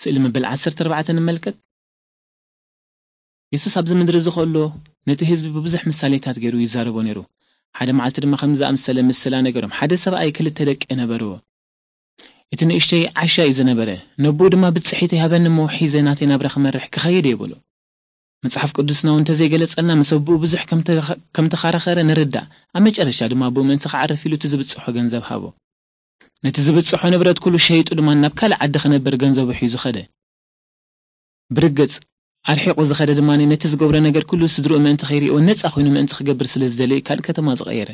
ስእሊ መበል ዓሰርተ ኣርባዕተ ንመልከት። የሱስ ኣብዚ ምድሪ እዚ ከሎ ነቲ ህዝቢ ብብዙሕ ምሳሌታት ገይሩ ይዛረቦ ነይሩ። ሓደ መዓልቲ ድማ ከምዚ ዝኣመሰለ ምስላ ነገሮም። ሓደ ሰብኣይ ክልተ ደቂ ነበርዎ። እቲ ንእሽተይ ዓሻ እዩ ዝነበረ። ነቦኡ ድማ ብጽሒተይ ሃበኒ እሞ ሒዘ ናተይ ናብራ ክመርሕ ክኸይድ እየ በሎ። መጽሓፍ ቅዱስና እውን እንተዘይገለጸልና ምስ ኣቦኡ ብዙሕ ከም ተኸ- ከም ተኸራኸረ ንርዳእ። ኣብ መጨረሻ ድማ ኣቦኡ ምእንቲ ክዓርፍ ኢሉ እቲ ዝብጽሖ ገንዘብ ሃቦ። ነቲ ዝብጽሖ ንብረት ኩሉ ሸይጡ ድማ ናብ ካልእ ዓዲ ክነብር ገንዘቡ ሒዙ ኸደ። ብርግጽ ኣርሒቑ ዝኸደ ድማ ነቲ ዝገብሮ ነገር ኩሉ ስድርኡ ምእንቲ ከይርእይዎ ነጻ ኮይኑ ምእንቲ ክገብር ስለ ዝደለየ ካልእ ከተማ ዝቐየረ።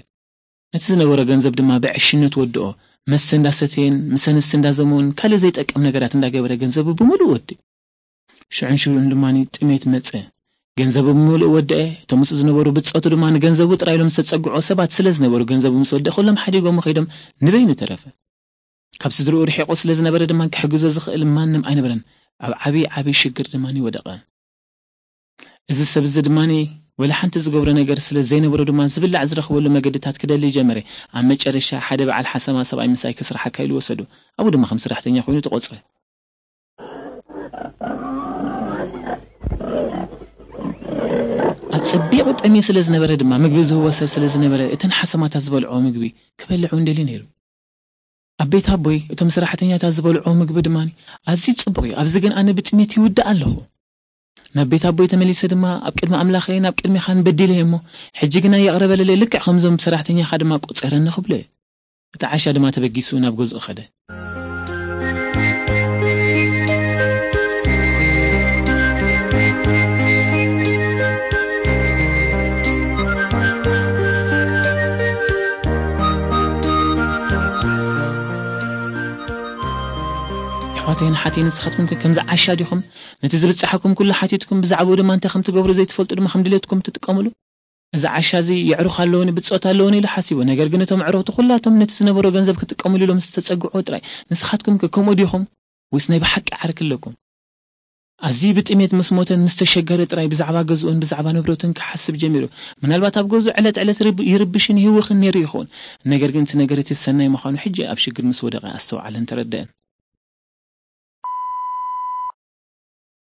ነቲ ዝነበሮ ገንዘብ ድማ ብዕሽነት ወድኦ። መስተ እንዳሰተየን ምስ ኣንስቲ እንዳዘመውን ካልእ ዘይጠቅም ነገራት እንዳገበረ ገንዘቡ ብምሉእ ወድእ። ሽዑን ሽዑን ድማ ጥሜት መጸ። ገንዘቡ ብምሉእ ወደአ። እቶም ምስኡ ዝነበሩ ብጾቱ ድማ ንገንዘቡ ጥራይ ኢሎም ዝተጸግዑ ሰባት ስለ ዝነበሩ ገንዘቡ ምስ ወደአ ኩሎም ሓዲጎም ከይዶም ንበይኑ ተረፈ። ካብ ስድርኡ ርሒቑ ስለ ዝነበረ ድማ ክሕግዞ ዝኽእል ማንም ኣይነበረን። ኣብ ዓብዪ ዓብዪ ሽግር ድማ ወደቐ። እዚ ሰብ እዚ ድማ ወላ ሓንቲ ዝገብሮ ነገር ስለ ዘይነበሮ ድማ ዝብላዕ ዝረኽበሉ መገድታት ክደሊ ጀመረ። ኣብ መጨረሻ ሓደ በዓል ሓሰማ ሰብኣይ ምሳይ ከስርሓካ ኢሉ ወሰዶ። ኣብኡ ድማ ከም ሰራሕተኛ ኮይኑ ተቖጽረ። ኣጸቢቑ ጠምዩ ስለ ዝነበረ ድማ ምግቢ ዝህቦ ሰብ ስለ ዝነበረ እተን ሓሰማታት ዝበልዖ ምግቢ ክበልዕ እውን ደልዩ ነይሩ። ኣብ ቤት ኣቦይ እቶም ሰራሕተኛታት ዝበልዖ ምግቢ ድማ ኣዝዩ ጽቡቕ እዩ። ኣብዚ ግን ኣነ ብጥሜት ይውዳእ ኣለኹ። ናብ ቤት ኣቦይ ተመሊሰ ድማ ኣብ ቅድሚ ኣምላኸይን ኣብ ቅድሚኻን በዲለ እየ እሞ ሕጂ ግና ይቕረ በለለይ፣ ልክዕ ከምዞም ሰራሕተኛኻ ድማ ቆጸረኒ ክብሎ እየ። እቲ ዓሻ ድማ ተበጊሱ ናብ ገዝኡ ኸደ። ኣሕዋተይን ሓተይን ንስኻትኩም ከ ከምዚ ዓሻ ዲኹም? ነቲ ዝብጽሓኩም ኩሉ ሓቲትኩም ብዛዕባኡ ድማ እንታይ ከም ትገብሩ ዘይትፈልጡ ድማ ከም ድሌትኩም ትጥቀምሉ? እዚ ዓሻ እዚ የዕሩኽ ኣለውኒ ብጾት ኣለውኒ ኢሉ ሓሲቡ። ነገር ግን እቶም ኣዕሩኽቲ ኩላቶም ነቲ ዝነበሮ ገንዘብ ክጥቀምሉ ኢሎም ዝተጸግዑ ጥራይ። ንስኻትኩም ከ ከምኡ ዲኹም? ወይስ ናይ ብሓቂ ዓርኪ ኣለኩም? ኣዝዩ ብጥሜት ምስ ሞተን ምስ ተሸገረ ጥራይ ብዛዕባ ገዝኡን ብዛዕባ ንብረቱን ክሓስብ ጀሚሩ። ምናልባት ኣብ ገዝኡ ዕለት ዕለት ርብ- ይርብሽን ይህውኽን ነይሩ ይኸውን። ነገር ግን እቲ ነገር እቲ ሰናይ ምዃኑ ሕጂ ኣብ ሽግር ምስ ወደቐ ኣስተውዓለን ተረደአን።